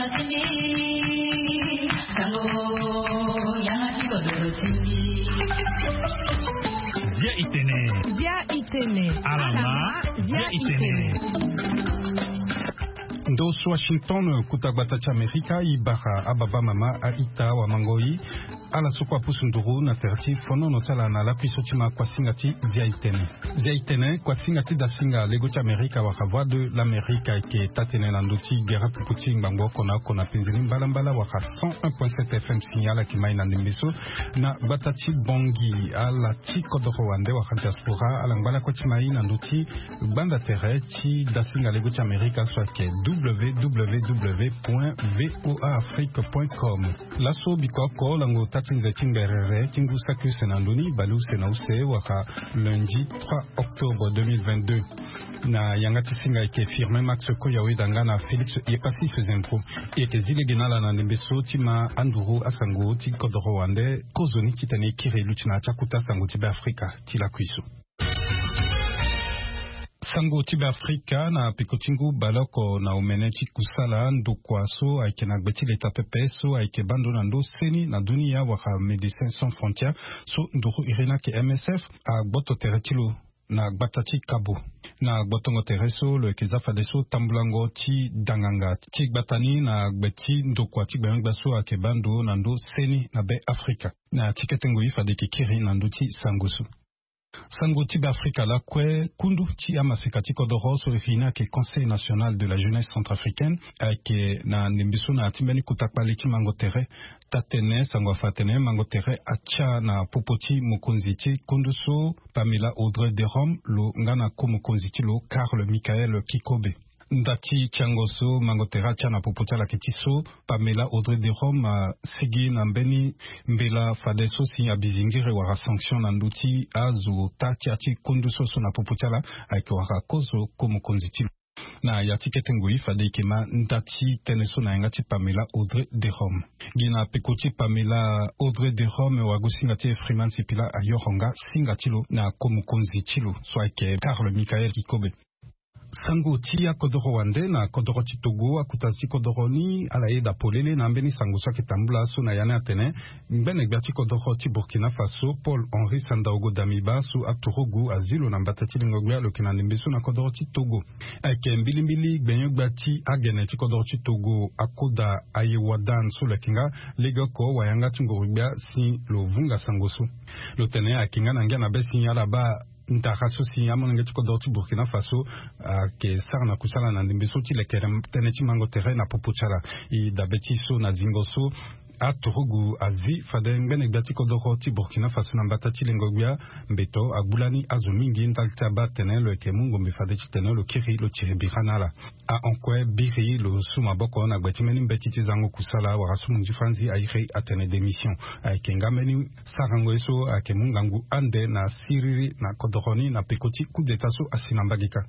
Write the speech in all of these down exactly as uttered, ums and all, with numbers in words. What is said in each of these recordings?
Bia itene. Bia itene. Alama. Bia itene. Ndo so Washington, kuta gbata ti Amerika, i bara ababa mama, a-ita, wamangoi, ala so kue apusu nduru na tere ti fonono ti ala na lakui so ti ma kuasinga ti Bia itene. Bia itene, kuasinga ti dasinga lego ti Amerika wala Voix de l'Amérique ayeke taa-tënë na ndö ti gere pupu ti ngbangbo oko na oko na penze ni mbalambala wala cent un point sept F M si ala yeke mai na ndembe so. Na gbata ti Bangui, ala ti kodoro wande wala diaspora, ala ngba lakue ti mai na ndö ti gbanda tere ti dasinga lego ti Amerika so ayeke W W W point V O A Afrique point com. Laso biko oko lango taa ti nze ti ngberere ti ngu saki use na ndö ni, bale use na use wala lundi trois octobre deux mille vingt-deux. Na yanga ti singa ayeke Firmin Max Koyaweda nga na Félix Yepassis Zembro. E yeke zi lege na ala na ndembe so ti ma anduru asango ti kodoro wande kozoni titene e kiri luti na ya ti akuta sango ti Beafrika ti lakui so. Sango ti Beafrika na peko ti ngu baleoko na omene ti kusala ndokua so ayeke na gbe ti leta pepe so ayeke baa ndo na ndo seni na dunia wala Médecins Sans Frontières, so nduru iri ni ayeke M S F, agboto tere ti lo na gbata ti Kabo. Na gbotongo tere so lo yeke za fadeso tambulango ti danganga ti gbata ni na gbe ti ndokua ti gbenyo-gbia so ayeke baa ndo na ndo seni na Be Afrika. Na ti kete ngoi fade e yeke kiri na ndö ti sango so. Sango ti Beafrika lakue, kundu ti amaseka ti kodoro so e fi ni ayeke Conseil National de la Jeunesse Centrafricaine ayeke na ndembe so na ya ti mbeni kota kpale ti mango tere. Taa-tënë sango afa atene mango tere atia na popo ti mokonzi ti kundu so, Pamela Audrey Derome, lo nga na ko-mokonzi ti lo Karl Michael Kikobe. Nda ti tiango so mango tere atia na popo ti ala ayeke ti so, Pamela Audrey Derome asigi na mbeni mbela fadeso si abizingiri wala sanction na ndö ti azo ota ti ya ti kundu so so na popo ti ala ayeke wara kozo ko-mokonzi ti lo. Na ya ti kete ngoi fade e yeke ma nda ti tënë so na yanga ti Pamela Audrey Derome. Gi na peko ti Pamela Audrey Derome, wagosinga ti e Freeman Sipila ayoro nga singa ti lo na ko-mokonzi ti lo so ayeke Karl Michael Kikobe. Sango ti akodoro wande na kodoro ti Togo, akuta ti kodoro ni ala yeda polele na ambeni sango so ayeke tambula so na ya ni atene ngbene-gbia ti kodoro ti Burkina Faso, Paul Henri Sandaogo Damiba, so aturugu azi lo na mbata ti lengo-gbia, lo yeke na ndembe so na kodoro ti Togo. Ayeke mbilimbili gbenyo-gbia ti agene ti kodoro ti Togo, Akoda Ayewadan, so lo yeke nga legeoko wayanga ti nguru-gbia si lo vunga sango so. Lo tene ayeke nga na ngia na be si ala baa ndara so si amolenge ti kodoro ti Burkina Faso ayeke sara na kusala na ndembe so ti lekere tënë ti mango tere na popo ti ala. E dabe ti so na zingo so aturugu azi fade ngbene-gbia ti kodoro ti Burkina Faso na mbata ti lengo-gbia, mbeto agbu lani azo mingi ndali ti abaa atene lo yeke mu ngombe fade titene lo kiri lo tiri bira na ala. Ahon kue biri lo su maboko na gbe ti mbeni mbeti ti zango kusala wala su munzi franzi airi atene démission. Ayeke nga mbeni sarango ye so ayeke mu ngangu ande na siriri na kodoro ni na peko ti coup d'état so asi na mbage kâ.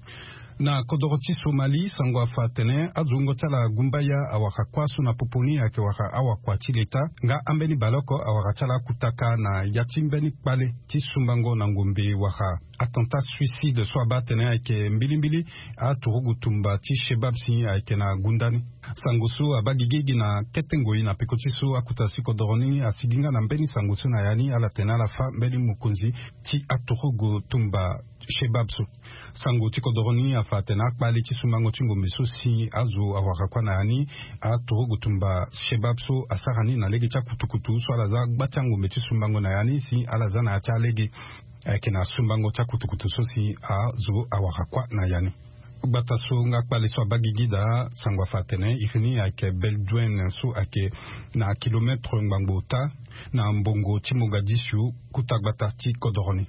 Na kodoro ti Somalie, sango afa atene azo wungo ti ala gumbaya awara kuâ so na popo ni ayeke wara awakua ti leta nga ambeni baleoko awara ti ala akutaka na ya ti mbeni kpale ti sumbango na ngombe wala attentat suicide so abaa atene ayeke mbilimbili aturugu tumba ti Shebab si ayeke na gunda ni. Sango so abaa gigi gi na kete ngoi na peko ti so akuta ti kodoro ni asigi nga na mbeni sango so na ya ni ala tene ala fâ mbeni mokonzi ti aturugu tumba Shebab so. Sango ti kodoro ni afa atene akpale ti sumbango ti ngombe so si azo awara kuâ na ya ni, aturugu tumba Shebab so asara ni na lege ti akutukutu so ala za gba ti angombe ti sumbango na ya ni si ala za na ya ti alege. Ayeke na sumbango ti akutukutu so si azo awara kuâ na ya ni. Gbata so nga kpale so abaa gigi daa, sango afa atene iri ni ayeke Beledweyne so ayeke na kilometre ngbangbo ota na mbongo ti Mogadishu, kuta gbata ti kodoro ni.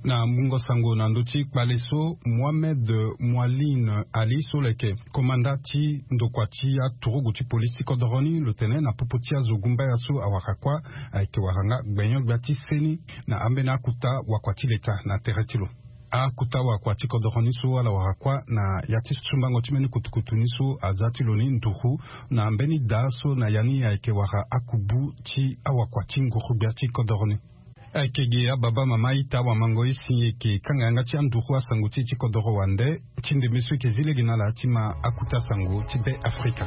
Na mungo sango na ndö ti kpale so, Mohamed Moualine Ali so lo yeke komanda ti ndokua ti aturugu ti polisi ti kodoro ni, lo tene na popo ti azo gumbaya so awara kuâ ayeke wara nga gbenyo-gbia ti seni na ambeni akuta wakua ti leta na tere ti lo. Akuta wakua ti kodoro ni so ala wara kuâ na ya ti sumbango ti mbeni kutukutu ni so aza ti lo ni nduru na mbeni daa so na ya ni ayeke wara akubu ti awakua ti nguru-gbia ti kodoro ni. Ayeke ge ababa mama ita wamango ye si eke kanga yanga ti anduru asango ti e ti kodoro wande. Ti ndembe so eke zi lege na ala ti ma akuta sango ti be afrika.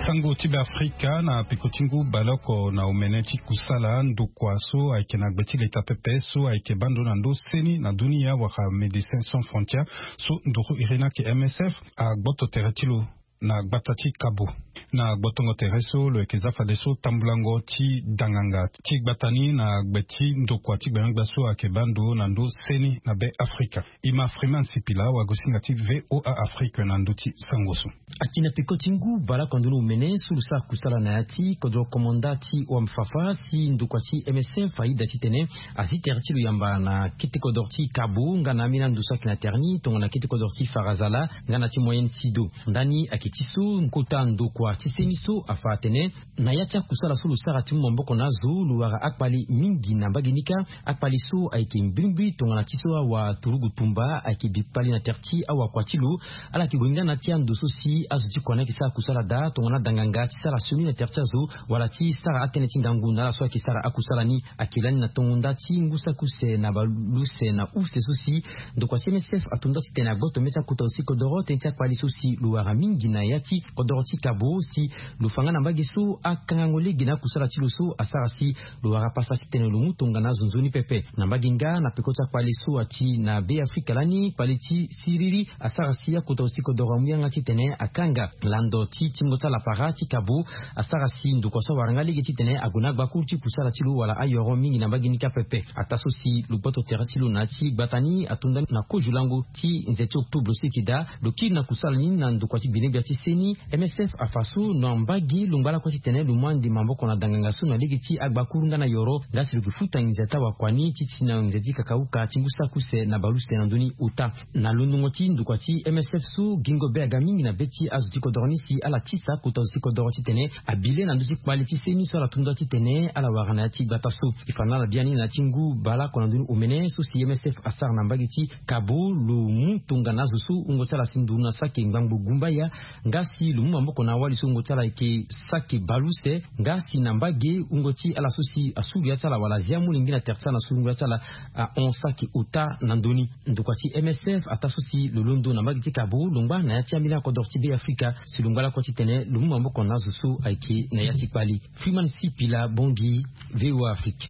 Sango ti be afrika na peko ti ngu baleoko na omene ti kusala ndokua so ayeke na gbe ti leta pepe so ayeke bando na ndo seni na dunia wala médecin sans frontière, so nduru iri ni ayeke msf, agboto tere ti lo na gbata ti kabo. Na gbotongo tere so lo yeke za fadeso tambulango ti danganga ti gbata ni na gbe ti ndokua ti gbenyogbia so ayeke bando na ndo seni na be afrika. E ma freeman sipila wagosinga ti voa afrique na ndö ti sango so. Aki na peko ti ngu baleoko na ndoni omene so lo sara kusala na ya ti kodro komanda ti wamfafa si ndokua ti msf ayeda titene azi tere ti lo yamba na kete kodro ti kabo nga na ambeni ando so ayeke na tere ni tongana kete kodro ti farazala nga na ti moyenne sido. Ndani ayeke ti so kota ndokua ti seni so afa atene na ya ti akusala so lo sara ti mu maboko na azo lo wara akpali mingi na mbage ni kâ. Akpali so ayeke mbrimbri tongana ti so awa turugu tumba ayeke bi kpali na tere ti awakua ti lo. Ala yeke gue nga na ti ando so si azo ti kua ni ayeke sara kusala daa tongana adanganga ti sara sioni na tere ti azo wala ti sara atënë ti ngangu na ala so ayeke sara akusala ni. Ayeke lani na tongo nda ti ngu saki use na baleuse na use so si ndokua ti msf ato nda titene agboto mê ti akota zo ti kodoro tënë ti akpali so si lo wara mingi na ya ti kodoro ti kabo si lo fa nga na mbage so akangango lege na akusala ti lo so asara si lo wara pasa titene lo mu tongana azo nzoni pepe. Na mbage nga na peko ti akpali so ati na be afrika lani kpali ti siriri asara si akota zo ti kodoro amu yanga titene akanga lando ti tingo ti ala para ti kabo. Asara si ndokua so awara nga lege titene ague na agbakuru ti kusala ti lo wala ayoro mingi na mbage ni kâ pepe. Ataa so si lo gboto tere ti lo na ya ti gbata ni ato nda na kozo lango ti nze ti octobre so eke daa lo kiri na kusala ni na ndokua ti gbenegbia ti seni. Msf afa so na mbage lo ngba lakue titene lo mu ande maboko na danganga so na lege ti agbakuru nga na yoro nga si lo yeke futa nginza ti awakua ni ti ti na nginza ti kakauka ti ngu saki use na baleuse na ndö ni ota. Na londongo ti ndokua ti msf so gingo be aga mingi na be ti azo ti kodoro ni si ala tisa kota zo ti kodoro titene abi le na ndö ti kpali ti seni so ala to nda titene ala wara na ya ti gbata so. E fa na ala biani na ya ti ngu baleoko na ndö ni omene so si msf asara na mbage ti kabo lo mu tongana azo so wungo ti ala si nduru na saki ngbangbo gumbaya nga si lo mu maboko na awali so wungo ti ala ayeke saki baleuse nga si na mbage wungo ti ala so si asuru ya ti ala wala azi amolenge na tere ti ala na so wungo ya ti ala ahon saki ota na ndö ni. Ndokua ti msf ataa so si lo londo na mbage ti kabo lo ngba na ya ti ambeni akodoro ti be afrika si lo ngba lakue titene lo mu maboko na azo so ayeke na ya ti kpali. Freeman sipila bongi. Voa afrique.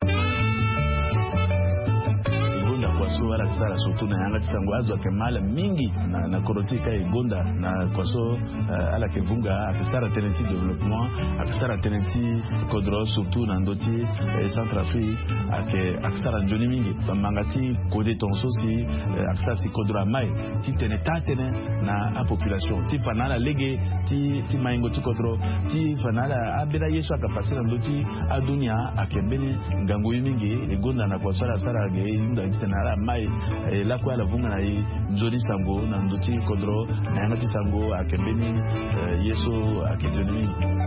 E gonda kua so ala yeke sara surtout na yanga ti sango azo ayeke ma ala mingi na, na kodro ti e ka e gonda na kua so, eh, ala yeke vunga ayeke sara tënë ti développement, ayeke sara tënë ti kodro surtout na ndö ti, eh, centrafrique ayeke, ayeke sara nzoni mingi. Bamanga ti kode tongaso si, eh, ayeke sara si kodro amai titene taa tënë na apopulation ti fa na ala lege ti, ti maingo ti kodro ti fa na ala ambeni aye so ayeke pase na ndö ti adunia ayeke mbeni ngangu ye mingi. E gonda na kua so ala sara ge e hunda titene ala mai, eh, lakue ala vunga na e nzoni sango na ndö ti kodro na yanga ti sango ayeke mbeni, eh, ye so ayeke nzoni mingi.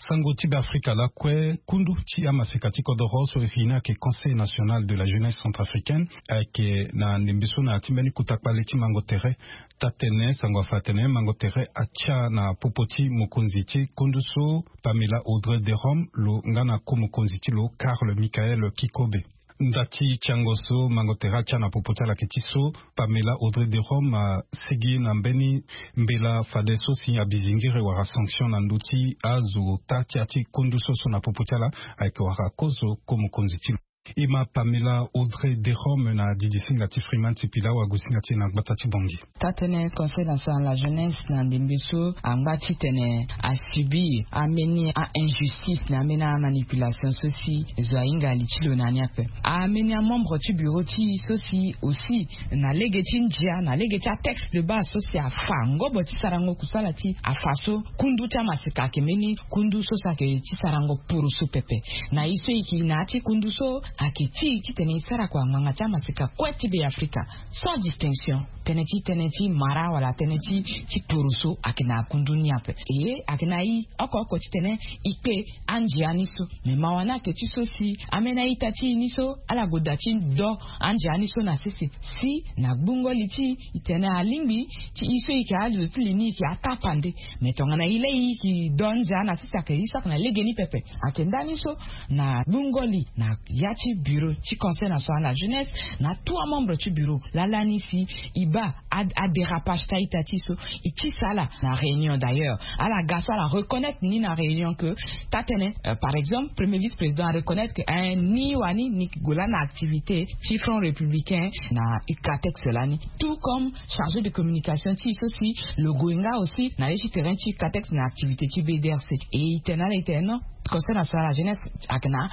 Sango ti be afrika lakue kundu ti amaseka ti kodoro so e fi ni ayeke conseil national de la jeunesse centrafricaine ayeke na ndembe so na ya ti mbeni kota kpale ti mango tere. Taa-tene sango afa atene mango tere atia na popo ti mokonzi ti kundu so pamela audrey de rome lo nga na ko mokonzi ti lo karl michael kikobe. Nda ti tiango so mango tere atia na popo ti ala ayeke ti so pamela audrey de rome asigi na mbeni mbela fadeso si abizingiri wala sanction na ndö ti azo ota ti ya ti kundu so so na popo ti ala ayeke wara kozo ko mokonzi ti lo. E ma Pamela Audrey Derome na didi singa ti Freeman ti pila wa gu singa ti e na gbata ti Bangui. Taa tënë Conseil national de la jeunesse na ndembe so angba titene asubir ambeni a-injustice na ambeni amanipulation so si zo ahinga li ti lo na ni ape. Ambeni amembre ti bureau ti e so si aussi na lege ti ndia na lege ti atexte de base so si afa ngobo ti sarango kusala ti afa so kundu ti amaseka ayeke mbeni kundu so si ayeke ti sarango poroso pepe. Na e so e yeke na ya ti kundu so ayeke ti e titene e sara kua ngbanga ti amaseka kue ti be afrika sans distinction. Tënë ti tënë ti mara wala tënë ti ti poroso ayeke na kundu ni ape. E ayeke na e oko oko titene e kpe andia ni so. Me mawa ni ayeke ti so si ambeni a-ita ti e ni so ala goda ti do andia ni so na sese si na gbungo li ti e e tene alingbi ti e so e yeke azo ti li ni e yeke atapande. Me tongana e lei e yeke do andia na sese ayeke e so ayeke na legeni pepe. Ayeke ndani so na gbungo li na ya ti bureau ti Conseil national de la jeunesse na tout amembre ti bureau lala ni si e baa adérapage ti a-ita ti e so e tisa ala na réunion. D'ailleurs ala ga so ala reconnaître ni na réunion ke taa tënë par exemple premier vice-président areconnaître ke ni wani ni yeke gue lani na activité ti Front républicain na ucatex lani. Tout comme chargé de communication ti e so si lo gue nga aussi na ye ti terrain ti ucatex na activité ti bdrc. E e tene ala e tene non, Conseil national de la jeunesse ayeke na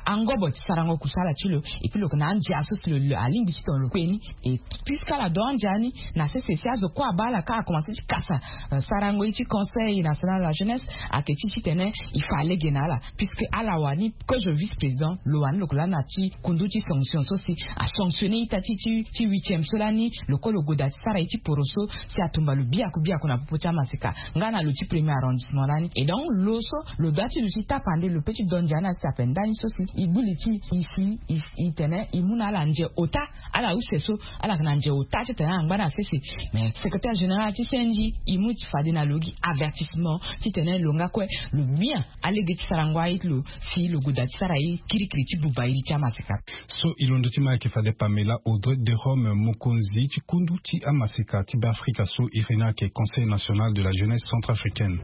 angobo ti sarango kusala ti lo. Et puis lo yeke na andia so si lo alingbi ti tongana lo kpe ni. Et puisque ala do andia ni na sese si azo kue abaa ala kâ akomanse ti kasa sarango ye ti Conseil national de la jeunesse ayeke ti titene e fa lege na ala. Puisque ala wani kozo vice-président lo wani lo yeke lani na ti kundu ti sanction so si asanctionner ita ti ti huitième so lani lo kue lo goda ti sara ye ti poroso si atumba lo biaku biaku na popo ti amaseka nga na lo ti premier arrondissement lani. Et donc lo so lo doit ti lo ti tapande lo pe ti do ndia ni asi ape ndani so si e gbu li ti e si e tene e mu na ala ndia ota. Ala use so ala yeke na ndia ota titene ala ngba na sese. Mais secrétaire général ti cng e mu ti fade na lo gi avertissement titene lo nga kue lo mia alege ti sarango aye ti lo si lo goda ti sara ye kirikiri ti buba iri ti amaseka. So e londo ti ma ayeke fade Pamela Audrey Derome mokonzi ti kundu ti amaseka ti be afrika so iri ni ayeke Conseil national de la jeunesse centrafricaine.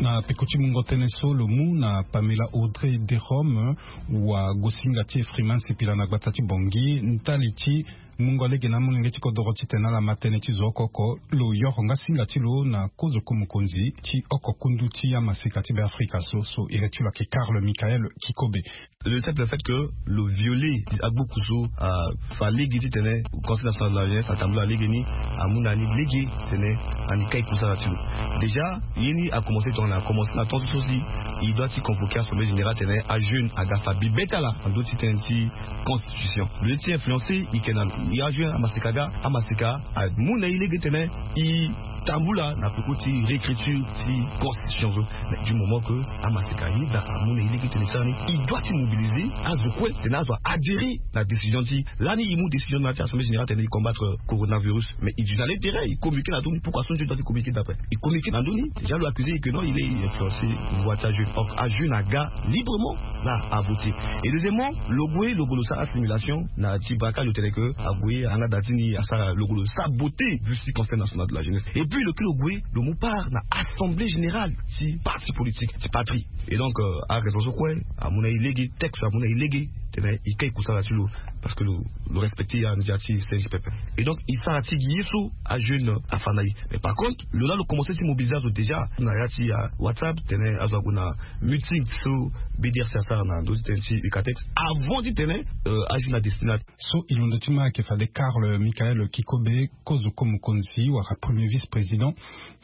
Na peko ti mungo tënë so lo mu na Pamela Audrey Derome wa gosinga ti e Freeman Sipila na gbata ti Bangui ndali ti mungo lege na amolenge ti kodoro titene ala ma tënë ti zo oko oko. Lo yoro nga singa ti lo na kozoko mokonzi ti oko kundu ti amaseka ti be afrika so so iri ti lo ayeke Karl Michael Kikobe. Le simple fait que lo viole agbuku so afa lege titene Conseil national de la jeunesse atambula lege ni amu na ni lege titene ani kai kusala ti lo. Déjà ye ni akomanse tongana akomanse na temps so si e doit ti convoquer assemblée générale titene ajeune aga fa bibe ti ala na ndö ti tënë ti constitution. Lo ye ti influencer e yeke na lo. E ajeune amaseka aga amaseka amu na e lege titene e tambula na peko ti réécriture ti constitution so. Mais du moment que amaseka ahinda amu na e lege titene e sara ni, e doit ti mobiliser azo kue titene azo a adhérer na décision ti lani e mu décision na ya ti assemblée générale titene e combattre coronavirus. Mais e du na l'intérêt e communiquer na ndö ni. Pourquoi so nzoni doit ti communiquer d'après e communiquer na ndö ni? Déjà lo accuser e que non il est influencé voie ti ajeune. Or ajeune aga librement la a voter. Et deuxièmement lo gue lo gue lo sara assimilation na ti braquage lo tene que ague anga da ti ni asara lo gue lo saboter vu si Conseil national de la jeunesse. Et puis lo kiri lo gue lo mu part na assemblée générale ti parti politique ti patrie. Et donc araison so kue amu na e lege texte amu na e lege tene e kai kusala ti lo. Parce que lo respecter andia ti cng pepe. Et donc e sara ti gi ye so ajeune afa na e. Mais par contre lo laa lo commencer ti mobiliser azo déjà na ya ti whatsapp tene azo ague na meeting so bdrc asara na ndö ti tene ti ucatex avant ti tene ajeune adestinat. So e londo ti ma ayeke fade Karl Michael Kikobe kozoko mokonzi wala premier vice-président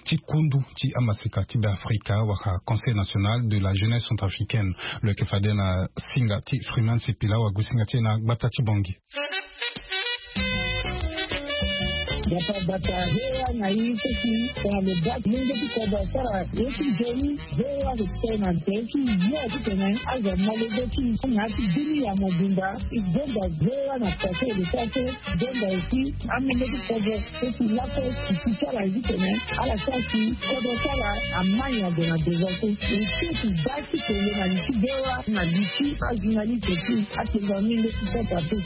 ti kundu ti amaseka ti be afrika wala Conseil national de la jeunesse centrafricaine. Lo yeke fade na singa ti Freeman Sipila wa gu singa ti e na gbata ti Bangui. Bata bata hewa na ye so si tongana lo baa ti lenge ti kodro asara ye ti nzoni. Hewa lo tene na nze ti yo titene azo amolenge ti na ya ti bini ya mobimba. E gonda hewa na pase lo sara so. Gonda aussi amolenge ti kodro so si laso e si ti ala ye titene ala sara si kodro ti ala amai ado na devant so. E si ti baa ti tene na li ti hewa na li ti ajournaliste ti atenda menge ti sasa te.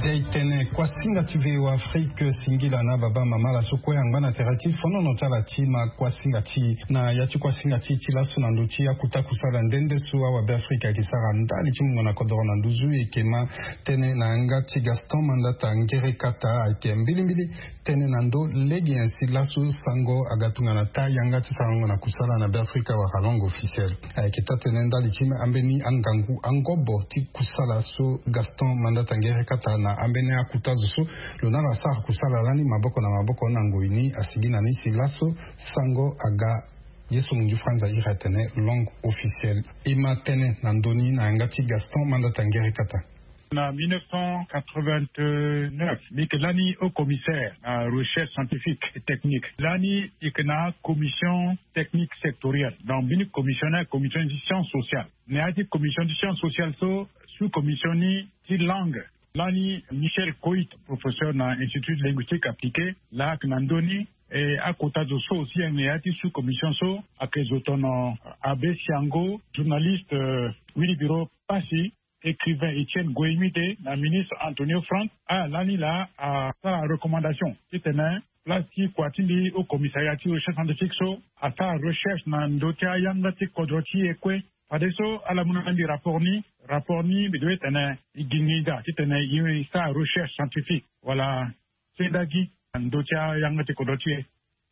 Itene kuasinga ti V O A Afrique singila na baba mama laso kue angba na tere ti fonono ti ala ti ma kuasinga ti na ya ti kuasinga ti ti laso na ndö ti akuta kusala nde nde so awabe Afrique ayeke sara ndali ti mungo na kodoro na nduzu eke ma tënë na yanga ti Gaston Mandata Ngere Kata ayeke mbilimbili tënë na ndö lege nyen si laso sango aga tongana taa yanga ti sarango na kusala na Beafrika wala langue officielle. Ayeke taa-tënë ndali ti ambeni angangu angobo ti kusala so Gaston Mandata Ngere Kata na ambeni akuta zo so lo na ala asara kusala lani maboko na maboko na ngoi ni asigi na ni si laso sango aga ye so mungi franza iri atene langue officielle. E ma tënë na ndö ni na yanga ti Gaston Mandata Ngere Kata. Na mille neuf cent quatre-vingt-neuf mbi yeke lani haut commissaire na recherche scientifique et technique. Lani mbi yeke na commission technique sectorielle, donc mbi ni commission na commission ti science sociale. Na ya ti commission ti science sociale so, sous commission ni ti langue, lani Michel Coit, professeur na Institut linguistique appliqué, laa ayeke na ndö ni. E akota zo so aussi ayeke na ya ti sous commission so ayeke zo tono Abbé Siango, journaliste, euh, Wilibiro Passy, écrivain Étienne Goemide na ministre Antonio Franck. Ala lani laa asara recommandation titene place ti kua ti mbi au commissariat ti recherche scientifique so asara recherche na ndö ti ayanga ti kodro ti e kue. Fadeso ala mu na mbi rapport ni. Rapport ni mbi doit tene e gi nginza titene e sara recherche scientifique wala sendagi na ndö ti ayanga ti kodro ti e.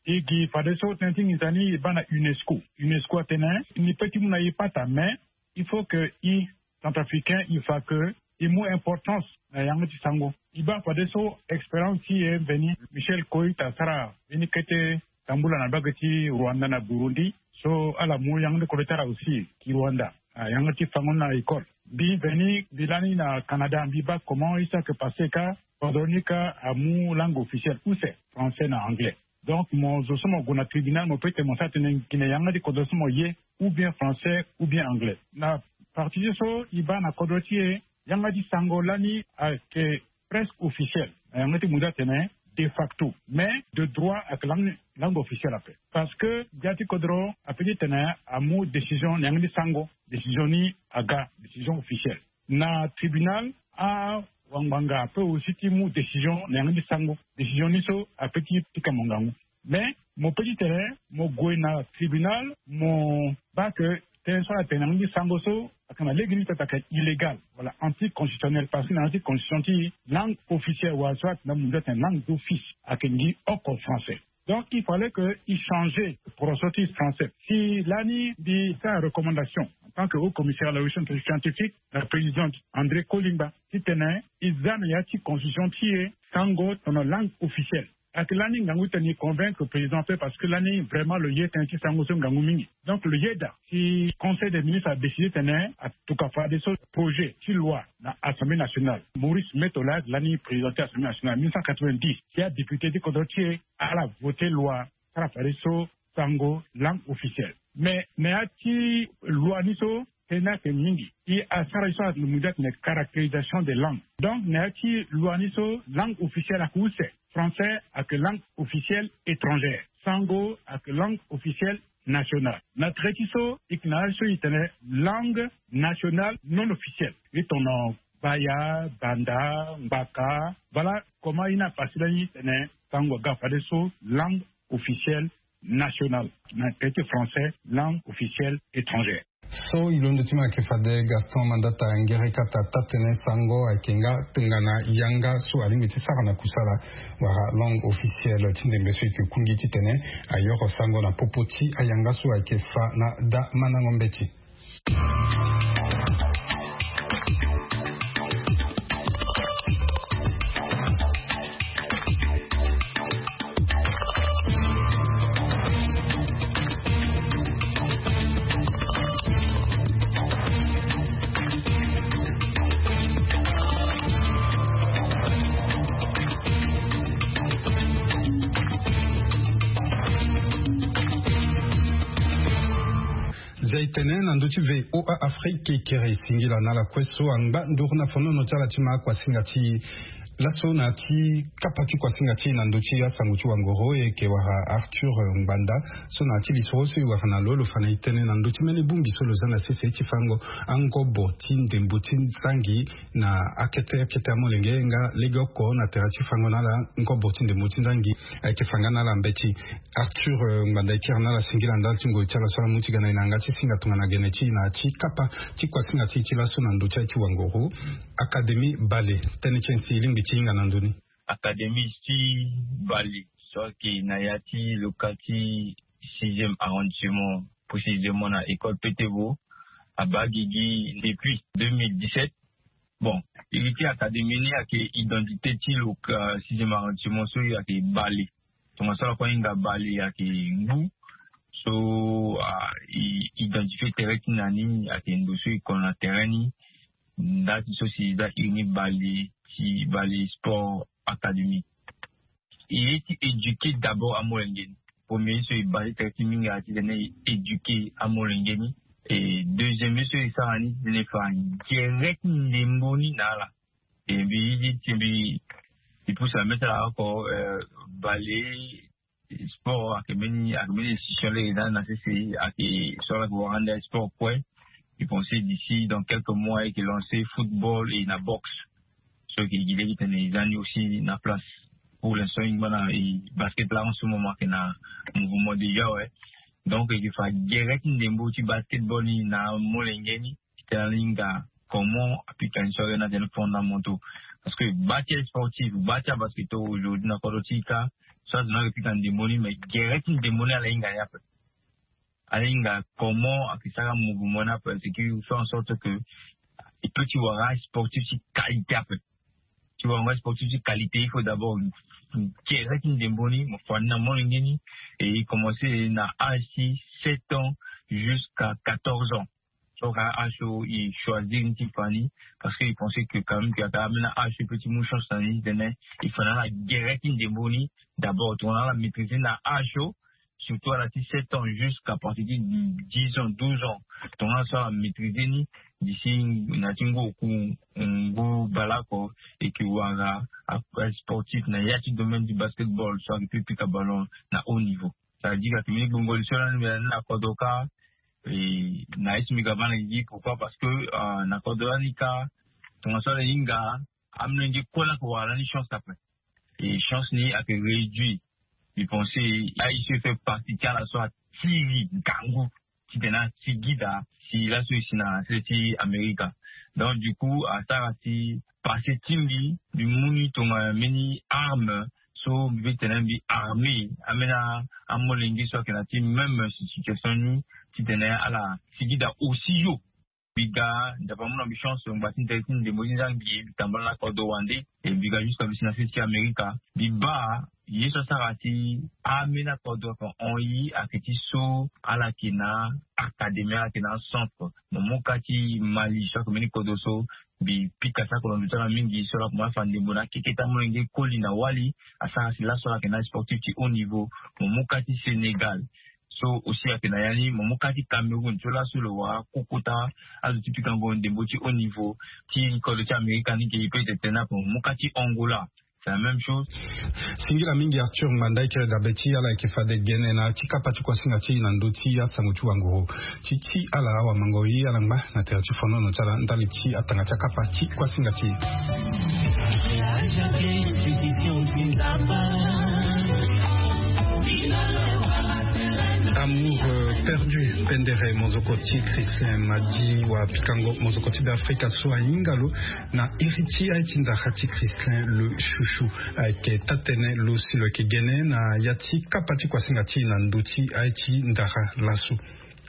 E gi fadeso tënë ti nginza ni e baa na UNESCO. UNESCO atene ni peut ti mu na e pata, mais il faut que e Centrafricain e fa que e mu importance na yanga ti sango. E baa fadeso expérience ti e mveni. Michel Coit asara mbeni kete tambula na mbage ti Rwanda na Burundi, so ala mu yanga ti kodro ti ala aussi ki Rwanda. Ah, yanga ti fango ni na école. Mbi mveni mbi lani na Canada, mbi baa comment e sara yeke passé kâ kodro ni kâ amu langue officielle use, français na anglais. Donc mo zo so mo gue na tribunal, mo peut ti tene mo sara tënë gi na yanga ti kodro so mo ye, ou bien français ou bien anglais. Na partie so e baa na kodro ti e, yanga ti sango lani ayeke presque officiel na yanga ti mundu atene de facto, mais de droit ayeke langue, langue officielle ape. Parce que gbia ti kodro apeut ti tene amu décision na yanga ti sango, décision ni aga décision officielle. Na tribunal, awangbanga apeut aussi ti mu décision na yanga ti sango, décision ni so apeut ti pika mo ngangu. Mais mo peut ti tene mo gue na tribunal, mo baa que tënë so ala tene na yanga ti sango so ayeke na lege ni peut ayeke illégal wala anticonstitutionnel, parce que na yanga ti constitution ti langue officielle wala so atene na mundu atene langue d'office ayeke ngi oko français. Donc il fallait que e changer poroso ti français. Si lani mbi sara recommandation en tant que haut commissaire à la recherche scientifique na président André Kolimba titene e za na ya ti constitution ti e sango tono langue officielle. Ayeke lani ngangu titene e convaincre président ape, parce que lani vraiment lo ye tënë ti sango so ngangu mingi. Donc lo yeda si conseil des ministres a décidé tene atuka fadeso projet ti loi na Assemblée nationale. Maurice Metola lani président ti Assemblée nationale mille neuf cent quatre-vingt-dix, si adéputé ti kodro ti e ala voté loi sara fadeso sango langue officielle. Mais na ya ti loi ni so tënë ni ayeke mingi. E asara ye so ala mu ti atene caractérisation des langues. Donc na ya ti loi ni so langue officielle ayeke use. Français ayeke langue officielle étrangère. Sango ayeke langue officielle nationale. Na tere ti so e yeke na ya so e tene langue nationale non officielle. E tono Baya, Banda, Ngbaka. Voilà comment e na passé lani tene sango aga fadeso langue officielle nationale, na tere ti français langue officielle étrangère. So e londo ti mo ayeke fade Gaston Mandata Ngerekata taa-tënë sango ayeke nga tongana yanga so alingbi ti sara na kusala wala langue officielle ti ndembe so e yeke kungi titene ayoro sango na popo ti ayanga so ayeke fa na daa mandango mbeti. Zia e tene na ndö ti V O A Afrique, e kiri singila na ala kue so angba nduru na fonono ti ala ti ma akuasinga ti Laso na ti kapa ti kuasinga ti e na ndö ti asango ti wangoro, e yeke wara Arthur Ngbanda. So na ya ti lisoro so e wara na lo, lo fa na e tënë na ndö ti mbeni bongbi so lo za na sese ti fango angobo ti ndembo ti nzangi na akete akete amolenge nga legeoko na tere ti fango na ala ngobo ti ndembo ti nzangi. Ayeke fa nga na ala mbeti. Arthur Ngbanda e kiri na ala singila ndali ti ngoi ti ala so ala mu ti ga na e na yanga ti singa tongana gene ti e na ya ti kapa ti kuasinga ti e ti laso na ndö ti aye ti wangoro. Académie Bale, tënë ti e si e lingbi ti hinga na ndö ni. Académie ti Bale so ayeke na ya ti loka ti sixième arrondissement, précisément na école Petebo, abaa gigi depuis deux mille dix-sept. Bon, iri ti académie ni ayeke identité ti loka sixième arrondissement so ayeke Bale. Tongaso ala kue ahinga Bale ayeke ngu so a i identifié tere ti na ni ayeke ndo so e kono na tere ni. Nda ti so si e za iri ni Bale ti Bale Sport Académie. E ye ti éduquer d'abord amolenge ni. Premier ye so e base tere ti mingi ayeke titene e éduquer amolenge ni. E deuxième ye so e sara ni titene e fa gere ti ndembo ni na ala. E mbi ye ti mbi e pousse la mê ti ala oko. Bale sport ayeke mbeni ayeke mbeni institution lege na na sese ayeke so ala yeke wara ande sport kue. E pense d'ici dans quelques mois e yeke lancer football et na boxe. So e yeke gi lege titene e za ni aussi na place. Pour l'instant e ngba na e basket la en ce moment ayeke na mouvement déjà awe. Donc e yeke fa gere ti ndembo ti basketball ni na amolenge ni. Titene ala hinga comment apika ni so ayeke na tene fondamentaux. Parce que bâti asportif, bâti abasketeur aujourd'hui na kodro ti e kâ, so azo ni ayeke pika ndembo ni mais gere ti ndembo ni ala hinga ni ape. Ala hinga comment ayeke sara mouvement ni ape, c'est que faire en sorte que e peut ti wara sportif ti qualité ape. Ti wara sportif ti qualité il faut d'abord gere ti ndembo ni mo fa ni na molenge ni. E commencer na âge ti sept ans jusqu'à quatorze ans. So ka âge so e choisir ni ti fa ni. Parce que e pense que quand même que ata ambeni âge so e peut ti mu chance na ni titene e fa na ala gere ti ndembo ni. D'abord tongana ala maîtriser na âge so, surtout ala ti sept ans jusqu'à partir ti dix ans, douze ans. Tongana so ala maîtriser ni d'ici na ti ngu oku ngu baleoko e yeke wara asportif na ya ti domaine du basketball so ayeke peut pika ballon na haut niveau. Ça veut dire ayeke mbeni gbongo li so lani mbi na ni na kodro kâ. Na ye ti mbi ga baa na gigi pourquoi parce que na kodro lani kâ tongaso ala hinga amolenge kue laa ayeke wara lani chance ape. Et chance ni ayeke réduit. Mbi pense aye so e fait partie ti ala so atiri ngangu titene atigida si laso e si na sese ti Amerika. Donc du coup asara si passé ti mbi mbi mu ni tongana mbeni arme so mbi peut tene mbi armé ambeni amolenge so ayeke na ti même situation ni titene ala tigida aussi yo. Mbi ga ndapa mu na mbi chance ngba ti ndele ti ndembo ti nzangi mbi tambula na kodro wande. E mbi ga jusqu'à mbi si na sese ti Amerika mbi baa ye so asara si ambeni akodro ayeke hon ye ayeke ti so ala yeke na académie ala yeke na acentre. Mo mu ka ti Mali so ayeke mbeni kodro so mbi pika sako na ndo ti ala mingi so ala kuma afa ndembo na akeke ti amolenge koli na wali. Asara si laso ala yeke na sportif ti haut niveau. Mo mu ka ti Sénégal so aussi ayeke na ya ni. Mo mu ka ti Cameroun so laso lo wara koko ti azo ti pikango ndembo ti haut niveau ti kodro ti Amerika ni ge e peut tene ape. Mo mu ka ti Angola c'est la même chose. Singila mingi Arthur Ngbanda e kiri dabe ti ala yeke fade gene na ti kapa ti kuasinga ti e na ndö ti asango ti wanguru ti ti ala awamango ye ala ngba na tere ti fonono ti ala ndali ti atanga ti akapa ti kuasinga ti e. Amour perdu pendere mozoko ti Christin Madi wa pikango mozoko ti Beafrika so ahinga lo na iri ti aye ti ndara ti Christin le chouchou. Ayeke taa-tënë lo si lo yeke gene na ya ti kapa ti kuasinga ti e na ndö ti aye ti ndara laso.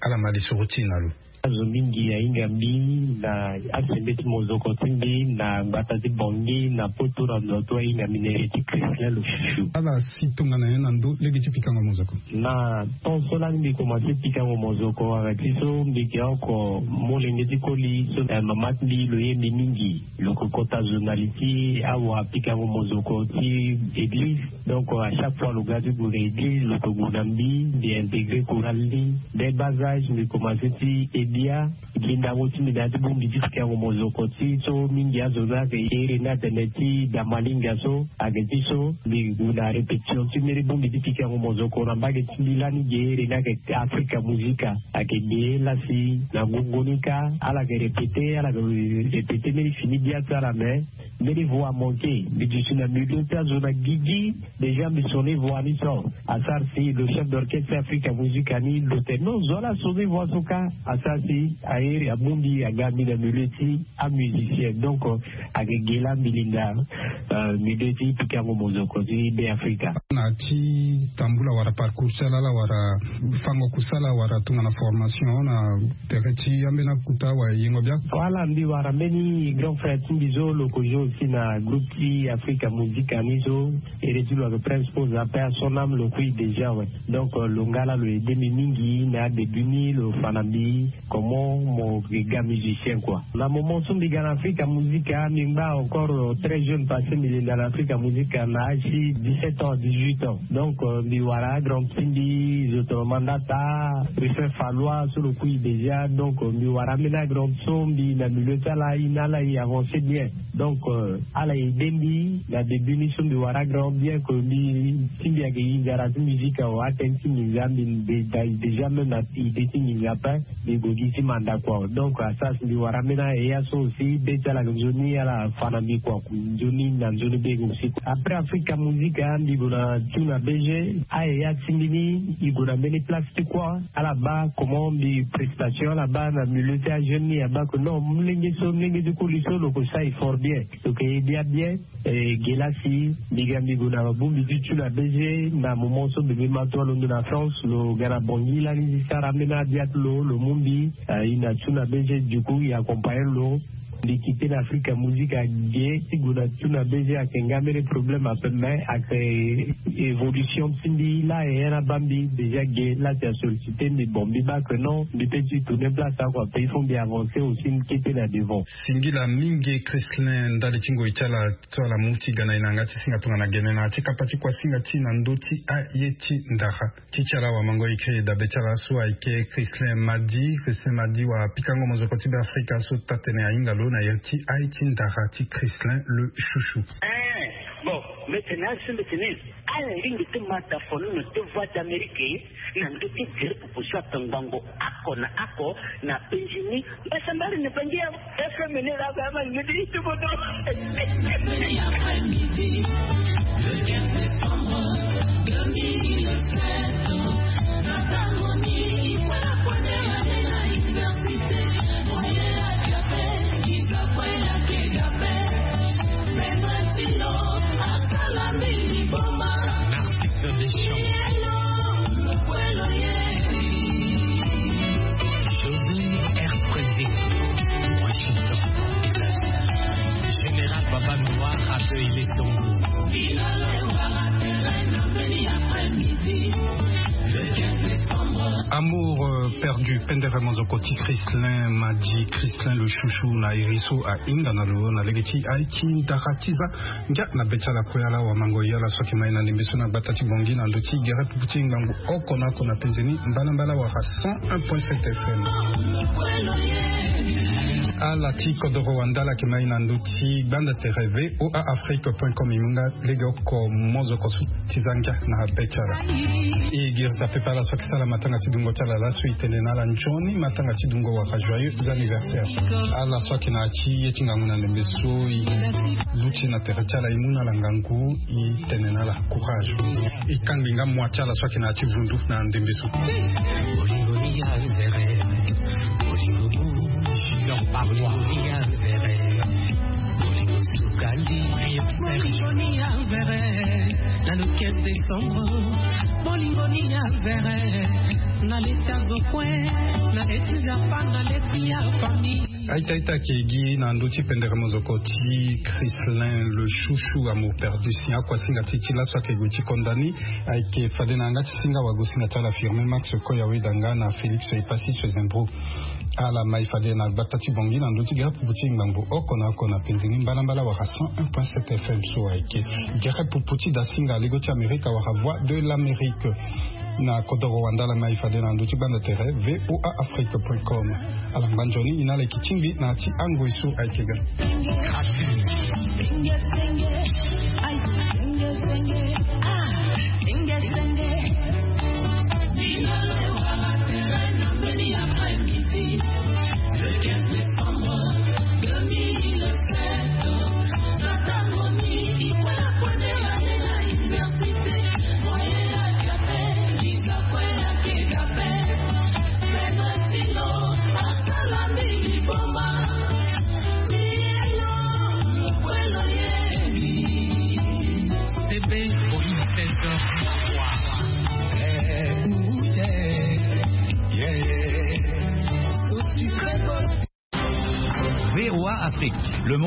Ala ma lisoro ti e na lo. Azo mingi ahinga mbi na asembeti mozoko ti mbi na gbata ti Bangui na poto na ndo ti ahinga mbi na iri ti Christin le chouchou. Ala si tongana nyen na ndö lege ti pikango mozoko? Na temps so lani mbi komanse pikango mozoko wala ti so mbi yeke oko molenge ti koli so mama ti mbi lo ye mbi mingi. Lo yeke kota zo na li ti awa pikango mozoko ti église. Donc à chaque fois lo ga ti gue na église lo yeke gue na mbi mbi intégré chorale ni. Dès bas âge mbi komanse ti Bia, gi ndango ti mbi na ya ti bongbi ti pikango mozoko ti so mingi azo ni ayeke iri ni atene ti damalinga so. Ayeke ti so mbi gue na répétition ti mbeni bongbi ti pikango mozoko na mbage ti mbi lani ge iri ni ayeke Africa Musica. Ayeke ge la si na ngongo ni kâ ala yeke répéter, ala yeke répéter mbeni fini bia ti ala, mais mbeni voix amanqué. Mbi duti na milieu ti azo na gigi. Déjà mbi sonner voix ni so. Asara si le chef d'orchestre Africa Musica ni lo tene non, zo ala sonner voix so kâ. Asara si airi abongbi aga mbi na milieu ti amusicien. Donc, euh, ayeke ge la mbi linda, euh, milieu ti pikango mozoko ti Be Africa. Na ya ti tambula wala parcours ti ala, ala wara fango kusala wala tongana formation na tere ti ambeni akuta wala yengo bia? Wala mbi wara mbeni grand frère ti mbi so lo ko joue aussi na groupe ti Africa Musica ni so. Ere ti lo ayeke Prince Pose, paix à son âme, lo kui déjà, ouais. Donc, euh, lo nga la lo aidé mbi mingi na début ni, lo fa na mbi comment mo ga musicien, quoi. Na moment so mbi ga na Africa Musica, mbi ngba encore, euh, très jeune, parce que mbi linda na Africa Musica na âge ti dix-sept ans, dix-huit ans. Donc, euh, mbi wara grand ti mbi, zo tene Mandata, Ruffin Fallois so lo kui déjà. Donc, euh, mbi wara ambeni grand so mbi na milieu ti ala, e na ala e avancer bien. Donc, euh, ala aidé mbi na début ni so mbi wara grand, bien que mbi, ti mbi ayeke hinga na ti musique awe, atene ti nginza mbi, mbi déjà même na idée ti nginza ape. Mbi gue gi ti manda, quoi. Donc, asara si mbi wara ambeni aheya so aussi, be ti ala ayeke nzoni, ala fa na mbi, quoi. Nzoni na nzoni be aussi. Après Africa Musica, mbi gue na tune na B G. Aheya ti mbi ni, e gue na mbeni place ti kua. Ala baa comment mbi prestation, ala baa na milieu ti ajeune ni, abaa que non, molenge so, molenge ti koli so lo ko sara effort bien. Lo yeke aidé bien. E, ge la si mbi ga mbi gue na bongbi ti tune na B G, na moment so bebe Mato alondo na France, lo ga na Bangui lani ti sara ambeni abia ti lo, lo mu mbi, e, e na tune na B G, du coup e accompagner lo. Mbi quitté na Africa Musica ge ti gue na tune na B G, ayeke nga mbeni problème ape, mais ayeke évolution ti mbi la, e, e na baa mbi déjà ge la si a sollicité mbi, bon, mbi baa que non, mbi peut ti tourner place awe, quoi, ape il faut mbi avancer aussi, mbi kete na devant. Singila mingi Christlin ndali ti ngoi ti ala so ala mu ti ga na e na yanga ti singa tongana gene na ya ti kapa ti kuasinga ti na ndö ti aye ti ndara. Ti ti ala wamango écrit dabe ti ala so ayeke Christlin Madi. Christlin Madi, wapikango mozoko ti Be Afrika so taa-tënë ahinga lo na iri ti aye ti ndara ti Christlin le Chouchou. Eh, bon, mbi tene asi, mbi tene ala lingbi ti ma dafono na deux voix d'Amérique na ndö ti gere pupu so ape ngbangbo oko na oko na penzi ni. Mbasambari ni bangi ya F M ni la ba ma ngidi itubodo. Après-midi, le quinze décembre deux mille sept, na tango mingi, voilà, Narcisse Deschamps. José R Président, Washington. Général Baba Noir, rappel, il est ton goût. Amour, euh, perdu, pendere mozoko ti Christlin Madi, Christlin le Chouchou, na iri so ahinga na lo na lege ti aye ti ndara ti za. Ngia na be ti ala kue, ala wamango e, ala so ayeke ma e na ndembe so na gbata ti Bangui na ndö ti gere pupu ti ngangu oko na oko na penze ni, mbalambala wala cent un point sept F M. Ala ti kodoro wanda ala yeke ma e na ndö ti gbanda tere V O A Afrique point com, e mu nga lege oko mozoko so ti za ngia na be ti ala. E girisa pepe ala so ayeke sala matanga ti dungo ti ala laso, e tene na ala nzoni matanga ti dungo wala joyeux anniversaire. Ala so ayeke na ya ti ye ti ngangu na ndembe so e luti na tere ti ala, e mu na ala ngangu, e tene na ala courage. E kangbi nga mua ti ala so ayeke na ya ti vundu na ndembe so. Bolingo ni ya zere, bolingo ni ya zere, bolingo sukali. Bolingo ni ya zere, na le quinze décembre. Bolingo ni ya zere, na leti azo kue, na leti nzapa, na leti ya famille. Aita aita ayeke gi na ndö ti pendere mozoko ti Christlin le Chouchou, Amour perdu, si akuasinga ti e ti laso ayeke gue ti konda ni. Ayeke fade na yanga ti singa wagosinga ti ala Firmin Max Koya Wedanga na Félix Epassi Sezembro. Ala ma e fade na gbata ti Bangui na ndö ti gere pupu ti ngbangbo oko na oko na penze ni, mbalambala wala cent un point sept F M so ayeke gere pupu ti dasinga lego ti Amerika wala Voix de l'Amérique. Na kodoro wandala mai fade na ndö ti gbanda tere V O A Afrique point com. Ala ngba nzoni ina ala yeke tingbi na ya ti angoi so ayeke ga. V O A Afrique, le monde.